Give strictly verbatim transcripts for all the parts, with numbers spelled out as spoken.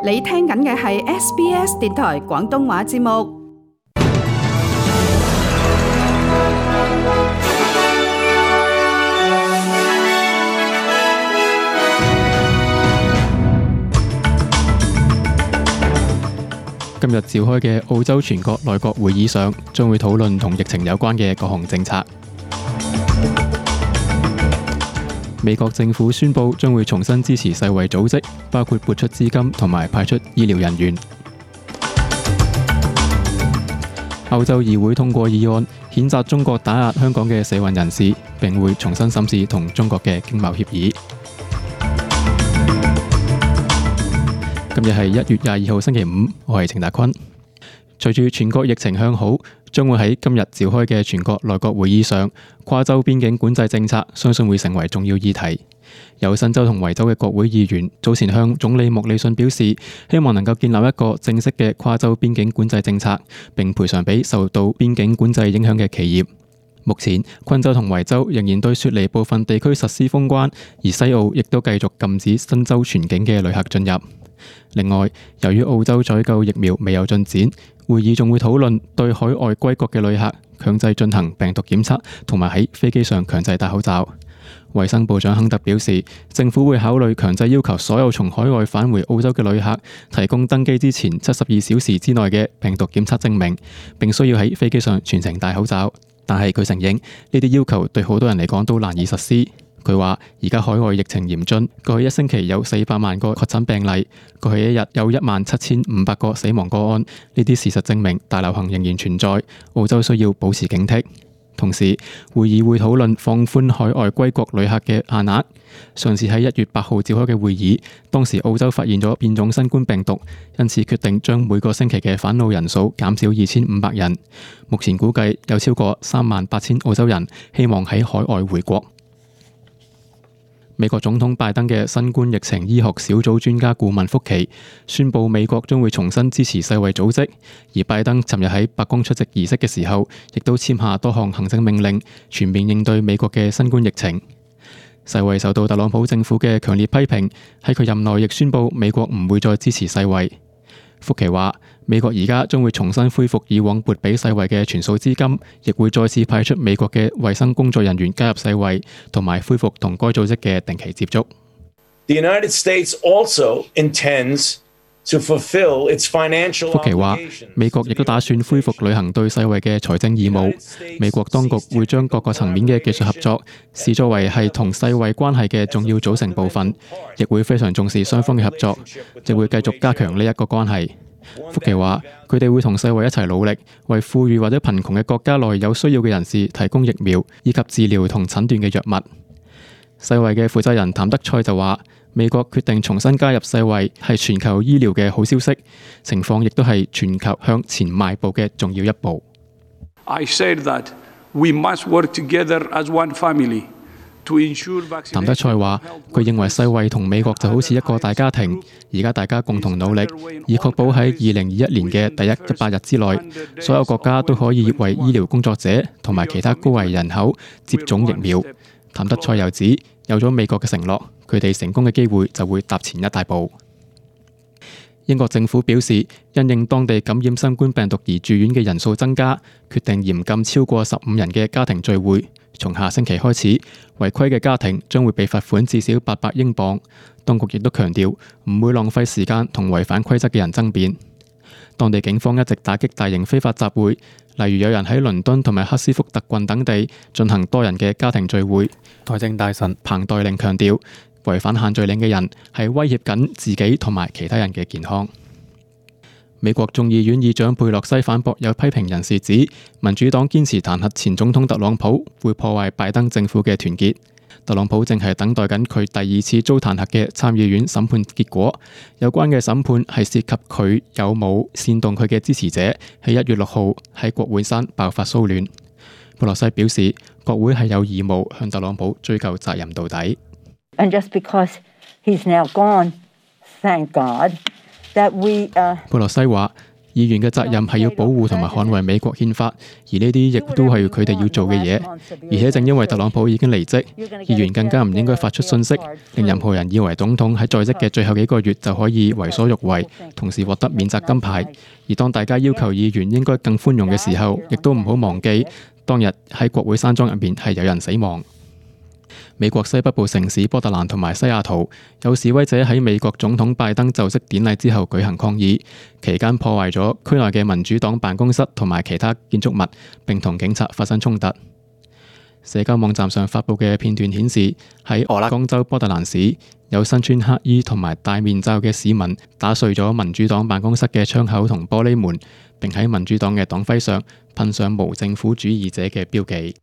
你聽緊嘅係 S B S 電台廣東話節目。今日召開嘅澳洲全國內閣會議上，將會討論同疫情有關嘅各項政策。美國政府宣布將會重新支持世衛組織，包括撥出資金同埋派出醫療人員。歐洲議會通過議案，譴責中國打壓香港嘅社運人士，並會重新審視同中國嘅經貿協議。今日係一月廿二號星期五，我係程達坤。隨住全國疫情向好，將會喺今日召開嘅全國內閣會議上，跨州邊境管制政策相信會成為重要議題。有新州同維州嘅國會議員早前向總理莫里遜表示，希望能夠建立一個正式嘅跨州邊境管制政策，並賠償俾受到邊境管制影響嘅企業。目前，昆州同維州仍然對雪梨部分地區實施封關，而西澳亦都繼續禁止新州全境嘅旅客進入。另外，由於澳洲採購疫苗未有進展，會議仲會討論對海外歸國嘅旅客強制進行病毒檢測，同埋喺飛機上強制戴口罩。衛生部長亨特表示，政府會考慮強制要求所有從海外返回澳洲嘅旅客提供登機之前七十二小時之內嘅病毒檢測證明，並需要喺飛機上全程戴口罩。但係佢承認呢啲要求對好多人嚟講都難以實施。佢話：而家海外疫情嚴峻，過去一星期有四百萬個確診病例，過去一日有一萬七千五百個死亡個案。呢啲事實證明大流行仍然存在，澳洲需要保持警惕。同時，會議會討論放寬海外歸國旅客嘅限額。上次喺一月八號召開嘅會議，當時澳洲發現咗變種新冠病毒，因此決定將每個星期嘅返澳人數減少二千五百人。目前估計有超過三萬八千澳洲人希望喺海外回國。美國總統拜登嘅新冠疫情醫學小組專家顧問福奇宣布，美國將會重新支持世衛組織。而拜登尋日喺白宮出席儀式嘅時候，亦都簽下多項行政命令，全面應對美國嘅新冠疫情。世衛受到特朗普政府嘅強烈批評，喺佢任內亦宣布美國唔會再支持世衛。福奇話：美國而家將會重新恢復以往撥俾世衛嘅全數資金，亦會再次派出美國嘅衛生工作人員加入世衛，同埋恢復同該組織嘅定期接觸。The United States also intends to fulfill its financial obligations. 福奇話：美國亦都打算恢復履行對世衛嘅財政義務。美國當局會將各個層面嘅技術合作視作為係同世衛關係嘅重要組成部分，亦會非常重視雙方嘅合作，亦會繼續加強呢一個關係。福奇話：佢哋會同世衛一齊努力，為富裕或者貧窮嘅國家內有需要嘅人士提供疫苗以及治療同診斷嘅藥物。世衛嘅負責人譚德塞就話：美國決定重新加入世衛係全球醫療嘅好消息，情況亦都係全球向前邁步嘅重要一步。I said that we must work together as one family to ensure vaccination. 譚德塞話：佢認為世衛同美國就好似一個大家庭，而家大家共同努力，以確保喺二零二一年嘅第一一百日之內，所有國家都可以為醫療工作者同埋其他高危人口接種疫苗。譚德塞又指，有咗美國嘅承諾，佢哋成功嘅機會就會踏前一大步。英國政府表示，因應當地感染新冠病毒而住院嘅人數增加，決定嚴禁超過十五人嘅家庭聚會。從下星期開始，違規嘅家庭將會被罰款至少八百英鎊。當局亦都強調唔會浪費時間同違反規則嘅人爭辯。當地警方一直打擊大型非法集會，例如有人喺倫敦同埋赫斯福特郡等地進行多人嘅家庭聚會。內政大臣彭黛玲強調，違反限聚令嘅人係威脅緊自己同埋其他人嘅健康。美國眾議院議長佩洛西反駁有批評人士指，民主黨堅持彈劾前總統特朗普會破壞拜登政府嘅團結。特朗普正係等待緊佢第二次遭彈劾嘅參議院審判結果，有關嘅審判係涉及佢有冇煽動佢嘅支持者喺一月六號喺國會山爆發騷亂。佩洛西表示，國會係有義務向特朗普追究責任到底。And just because he's now gone, thank God that we, uh... 佩洛西話：議員嘅責任係要保護同埋捍衛美國憲法，而呢啲亦都係佢哋要做嘅嘢。而且正因為特朗普已經離職，議員更加唔應該發出訊息，令任何人以為總統喺在職嘅最後幾個月就可以為所欲為，同時獲得免責金牌。而當大家要求議員應該更寬容嘅時候，亦都唔好忘記當日喺國會山莊入面係有人死亡。美國西北部城市波特蘭同埋西雅圖有示威者喺美國總統拜登就職典禮之後舉行抗議，期間破壞咗區內嘅民主黨辦公室同埋其他建築物，並同警察發生衝突。社交網站上發布嘅片段顯示，喺俄勒岡州波特蘭市，有身穿黑衣同埋戴面罩嘅市民打碎咗民主黨辦公室嘅窗口同玻璃門，並喺民主黨嘅黨徽上噴上無政府主義者嘅標記。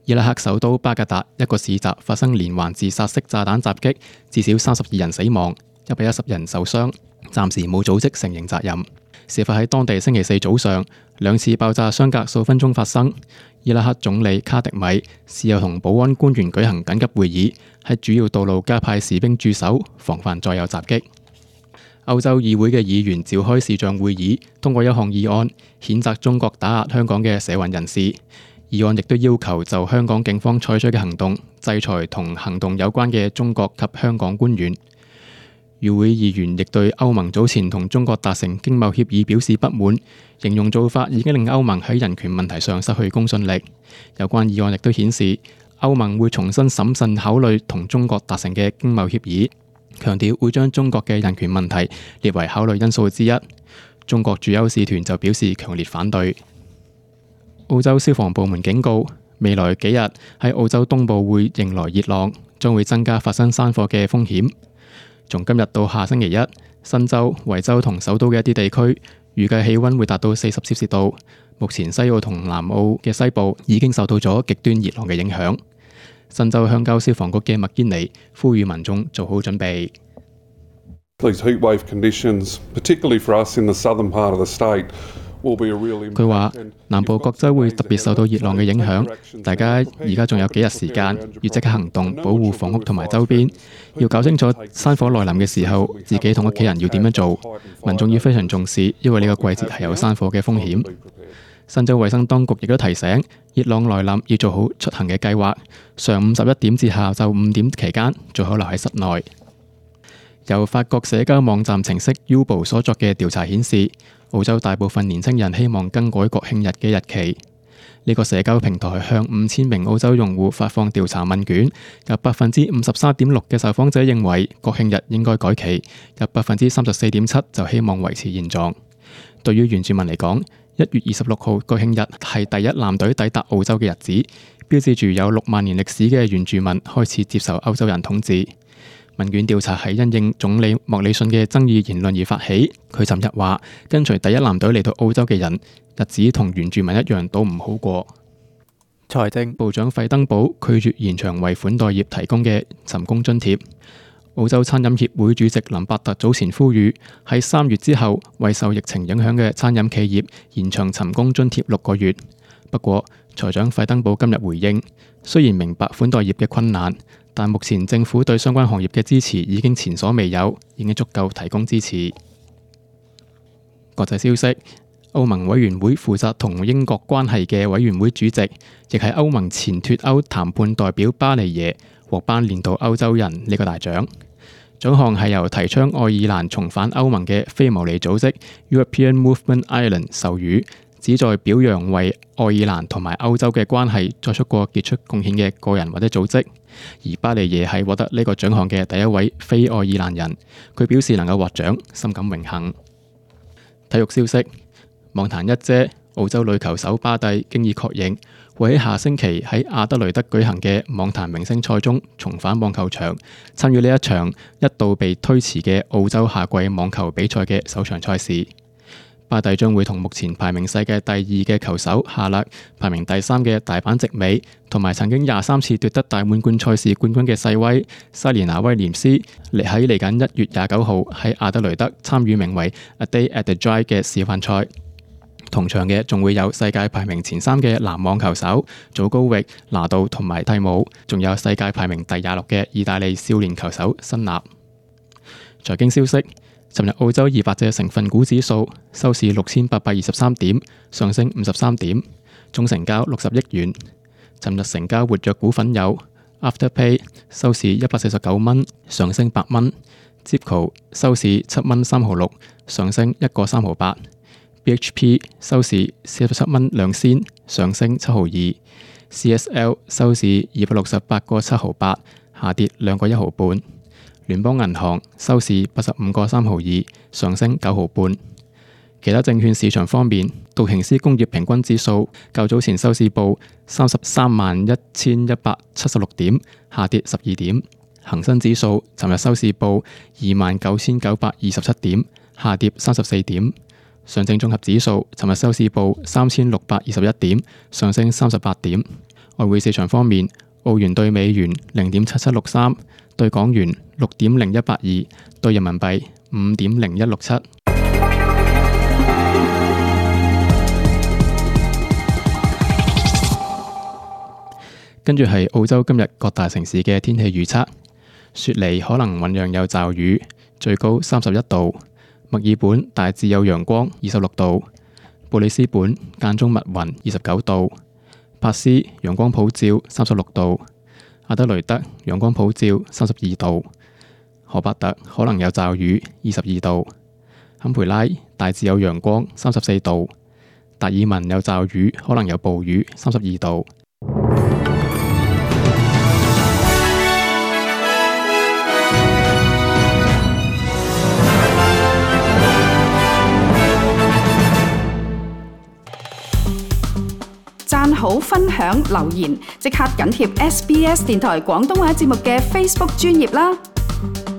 伊拉克首都巴格達一個市集發生連環自殺式炸彈襲擊，至少三十二人死亡，一百一十人受傷，暫時冇組織承認責任。事發喺當地星期四早上，兩次爆炸相隔數分鐘發生。伊拉克總理卡迪米事後同保安官員舉行緊急會議，喺主要道路加派士兵駐守，防範再有襲擊。歐洲議會嘅議員召開視像會議，通過一項議案，譴責中國打壓香港嘅社運人士。議案亦都要求就香港警方採取嘅行動，制裁同行動有關嘅中國及香港官員。與會議員亦對歐盟早前同中國達成經貿協議表示不滿，形容做法已經令歐盟喺人權問題上失去公信力。有關議案亦都顯示，歐盟會重新審慎考慮同中國達成嘅經貿協議，強調會將中國嘅人權問題列為考慮因素之一。中國駐歐使團就表示強烈反對。澳洲消防部門警告，未來幾日喺澳洲東部會迎來熱浪，將會增加發生山火嘅風險。從今日到下星期一，新州、維州同首都嘅一啲地區預計氣溫會達到四十攝氏度。目前西澳同南澳嘅西部已經受到咗極端熱浪嘅影響。新州鄉郊消防局嘅麥堅尼呼籲民眾做好準備。These heat wave conditions, particularly for us in the southern part of the state,佢話南部各州會特別受到熱浪嘅影響，大家而家仲有幾日時間，要即刻行動，保護房屋同埋周邊。要搞清楚山火來臨嘅時候，自己同屋企人要點樣做。民眾要非常重視，因為呢個季節係有山火嘅風險。新州衛生當局亦都提醒，熱浪來臨要做好出行嘅計劃。上午十一點至下晝五點期間，最好留喺室內。由法國社交網站程式 Yubo 所作嘅調查顯示，澳洲大部分年輕人希望更改國慶日嘅日期。呢個社交平台向五千名澳洲用戶發放調查問卷，有百分之五十三點六嘅受訪者認為國慶日應該改期，有百分之三十四點七就希望維持現狀。對於原住民嚟講，一月二十六號國慶日係第一艦隊抵達澳洲嘅日子，標誌住有六萬年歷史嘅原住民開始接受歐洲人統治。問卷調查係因應總理莫里遜嘅爭議言論而發起。佢尋日話，跟隨第一艦隊嚟到澳洲嘅人，日子同原住民一樣都唔好過。財政部長費登堡拒絕延長為款待業提供嘅尋工津貼。澳洲餐飲協會主席林伯特早前呼籲，喺三月之後為受疫情影響嘅餐飲企業延長尋工津貼六個月。不過，財長費登堡今日回應，雖然明白款待業嘅困難，但目前政府對相關行業嘅支持已經前所未有，已經足夠提供支持。國際消息，歐盟委員會負責同英國關係嘅委員會主席，亦係歐盟前脫歐談判代表巴尼耶獲頒年度歐洲人呢個大獎。獎項係由提倡愛爾蘭重返歐盟嘅非牟利組織 European Movement Ireland 授予，旨在表揚為愛爾蘭同埋歐洲嘅關係作出過傑出貢獻嘅個人或者組織。而巴尼耶係獲得呢個獎項嘅第一位非愛爾蘭人，佢表示能夠獲獎，深感榮幸。體育消息，網壇一姐澳洲女球手巴蒂經已確認會喺下星期喺亞德雷德舉行嘅網壇明星賽中重返網球場，參與呢一場一度被推遲嘅澳洲夏季網球比賽嘅首場賽事。巴蒂將會同目前排名世界第二嘅球手夏勒、排名第三嘅大阪直美，同埋曾經廿三次奪得大滿貫賽事冠軍嘅細威莎蓮娜威廉斯，嚟喺嚟緊一月廿九號喺亞德雷德參與名為 A Day at the Dry 嘅示範賽。同場嘅仲會有世界排名前三嘅男網球手祖高域、拿度同埋蒂姆，仲有世界排名第廿六嘅意大利少年球手辛納。財經消息，尋日澳洲二百隻成分股指數收市六千八百二十三點，上升五十三點，總成交六十億元。尋日成交活躍股份有 Afterpay 收市一百四十九蚊，上升八蚊。Zipco 收市七蚊三毫六，上升一個三毫八。B H P 收市四十七蚊兩仙，上升七毫二。C S L 收市二百六十八個七毫八，下跌兩個一毫半。聯邦銀行收市八十五個三毫二，上升九毫半。其他證券市場方面，道瓊斯工業平均指數較早前收市報三十三萬一千一百七十六點，下跌十二點。恒生指數尋日收市報二萬九千九百二十七點，下跌三十四點。上證綜合指數尋日收市報三千六百二十一點，上升三十八點。外匯市場方面，澳元對美元零點七七六三，對港元六點零一八二，對人民幣五點零一六七。跟住係澳洲今日各大城市嘅天氣預測。雪梨可能醞釀有驟雨，最高三十一度；墨爾本大致有陽光，二十六度；布里斯本間中密雲，二十九度；珀斯陽光普照，三十六度；阿德雷德陽光普照，三十二度；荷伯特可能有驟雨，二十二度；坎培拉大致有陽光，三十四度；達爾文有驟雨，可能有暴雨，三十二度。讚好、分享、留言，即刻緊貼 S B S 電台廣東話節目嘅 Facebook 專頁啦！